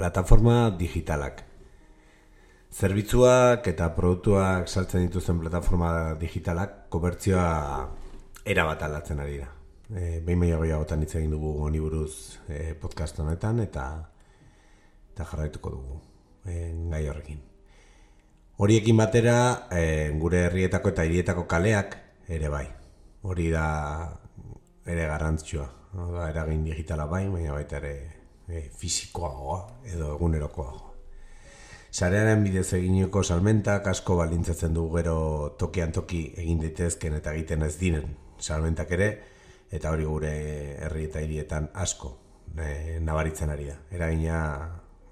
Plataforma digitalak. Zerbitzuak eta produktuak saltzen dituzten plataforma digitalak komertzioa erabat aldatzen ari da. Behin gehiagotan hitz egin dugu honi buruz podcast honetan eta jarraituko dugu gai horrekin. Horiekin batera gure herrietako eta hirietako kaleak ere bai. Hori da ere garrantzitsua. Eragin digitala bai, baina baita ere fisikoagoa edo egunerokoagoa. Sarearen bidez eginiko salmentak asko baldintzatzen du gero tokian toki egin daitezken eta egiten ez diren salmentak ere, eta hori gure herri eta hirietan asko nabaritzen ari da. Eragina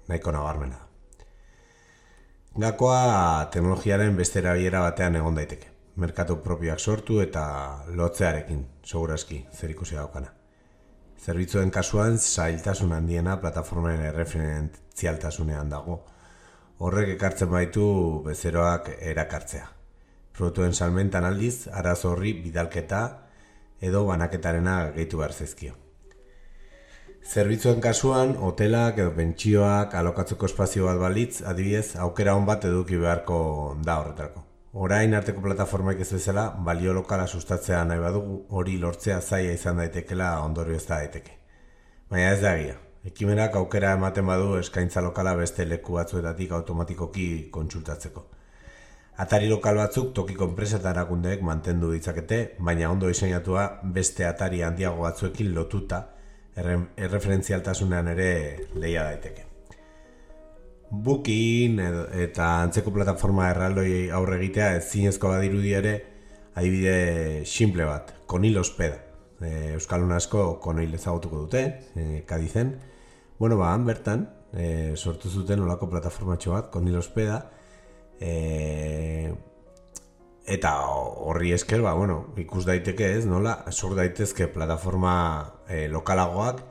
nahiko nabarmena da. Gakoa teknologiaren beste erabilera batean egon daiteke. Merkatu propioak sortu eta lotzearekin, segurazki, zerikusi daukana. Zerbitzuen kasuan, zailtasun handiena plataformaren erreferentzialtasunean dago. Horrek ekartzen baitu bezeroak erakartzea. Produktuen salmentan aldiz, arazo horri bidalketa edo banaketarena gehitu behar zaizkio. Zerbitzuen kasuan, hotelak edo pentsioak alokatzeko espazio bat balitz, adibidez, aukera on bat eduki beharko da horretarako. Orain arteko plataformaik ez bezala, balio lokala sustatzea nahi badugu, hori lortzea zaila izan daitekela ondorio ez da daiteke. Baina ez da egia. Ekimenak aukera ematen badu eskaintza lokala beste leku batzuetatik automatikoki kontsultatzeko. Atari lokal batzuk tokiko enpresa eta erakundeek mantendu ditzakete, baina ondo diseinatua beste atari handiago batzuekin lotuta erreferentzialtasunean ere lehia daiteke. Booking eta antzeko plataforma erraldoi aurre egitea ezinezko badirudi ere adibide simple bat, Konil Ospeda. Euskaldun asko Konil ezagutuko dute, Kadizen. Han bertan sortu zuten olako plataformatxo bat, Konil Ospeda, eta horri esker, ikus daiteke ez, nola, sor daitezke plataforma lokalagoak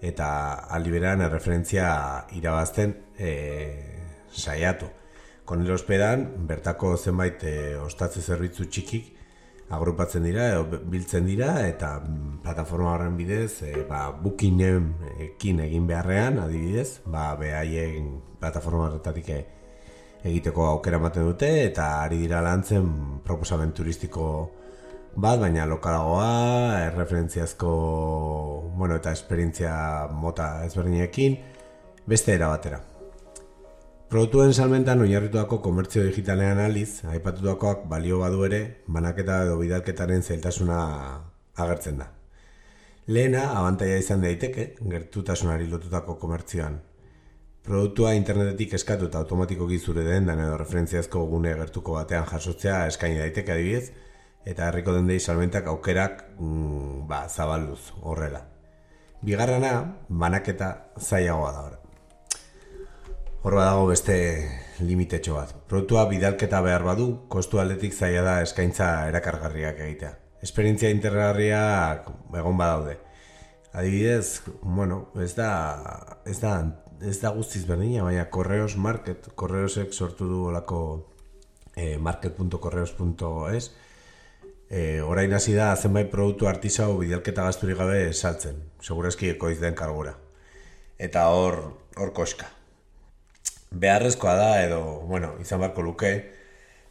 eta aliberan erreferentzia irabazten saiatu. Konil Ospedan, bertako zenbait ostatze zerbitzu txikik agrupatzen dira edo biltzen dira eta plataforma horren bidez Bookingekin egin beharrean, adibidez, behaien plataforma horretatik egiteko aukera ematen dute eta ari dira lantzen proposamen turistiko bat, baina lokalagoa, erreferentziazko eta esperientzia mota ezberdinekin, beste era batera. Produktuen salmentan oinarritutako komertzio digitalean aldiz, aipatutakoak balio badu ere, banaketa edo bidalketaren zailtasuna agertzen da. Lehena, abantaila izan daiteke, gertutasunari lotutako komertzioan. Produktua internetetik eskatu eta automatikoki zure dendan edo referentziazko gune gertuko batean jasotzea eskaini daiteke adibidez, eta herriko dendei salmentak aukerak zabalduz horrela. Bigarrena, banaketa zailagoa da. Hor badago beste limitetxo bat. Produktua bidalketa behar badu, kostu aldetik zaila da eskaintza erakargarriak egitea. Esperientzia interesgarriak egon badaude. Adibidez, ez da guztiz berdina, baina Correos Market, Correosek sortu du olako market.correos.es, orain hasi da zenbait produktu artisau bidalketa gasturik gabe saltzen, segurazki ekoiz den kargura. Eta hor koska. Beharrezkoa da edo, izan barko luke,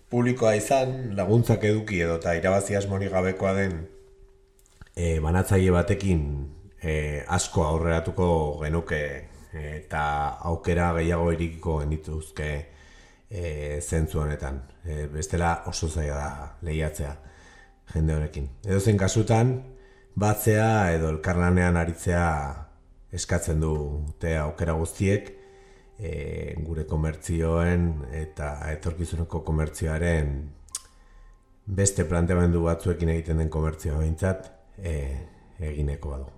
publikoa izan, laguntzak eduki edo eta irabazi asmorik gabekoa den banatzaile batekin asko aurreratuko genuke eta aukera gehiago irikiko genituzke zentzu honetan. Bestela oso zaila da lehiatzea jende honekin. Edozein kasutan, batzea edo elkarlanean aritzea eskatzen dute aukera guztiek gure komertzioen eta etorkizuneko komertzioaren beste planteamendu batzuekin egiten den komertzioa behintzat egineko badu.